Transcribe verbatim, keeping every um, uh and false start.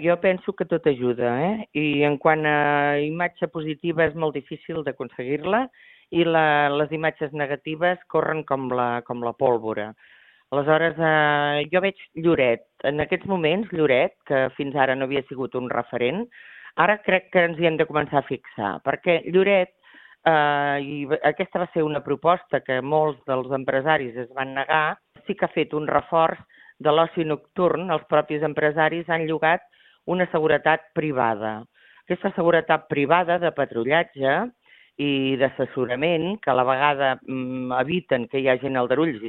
Jo penso que tot ajuda, eh? I en quant a imatge positiva és molt difícil d'aconseguir-la i la, les imatges negatives corren com la, com la pólvora. Aleshores, eh, jo veig Lloret. En aquests moments, Lloret, que fins ara no havia sigut un referent, ara crec que ens hi hem de començar a fixar, perquè Lloret, eh, i aquesta va ser una proposta que molts dels empresaris es van negar, sí que ha fet un reforç de l'oci nocturn. Els propis empresaris han llogat una seguretat privada. Aquesta seguretat privada de patrullatge i d'assessorament, que a la vegada mm, eviten que hi hagi aldarulls i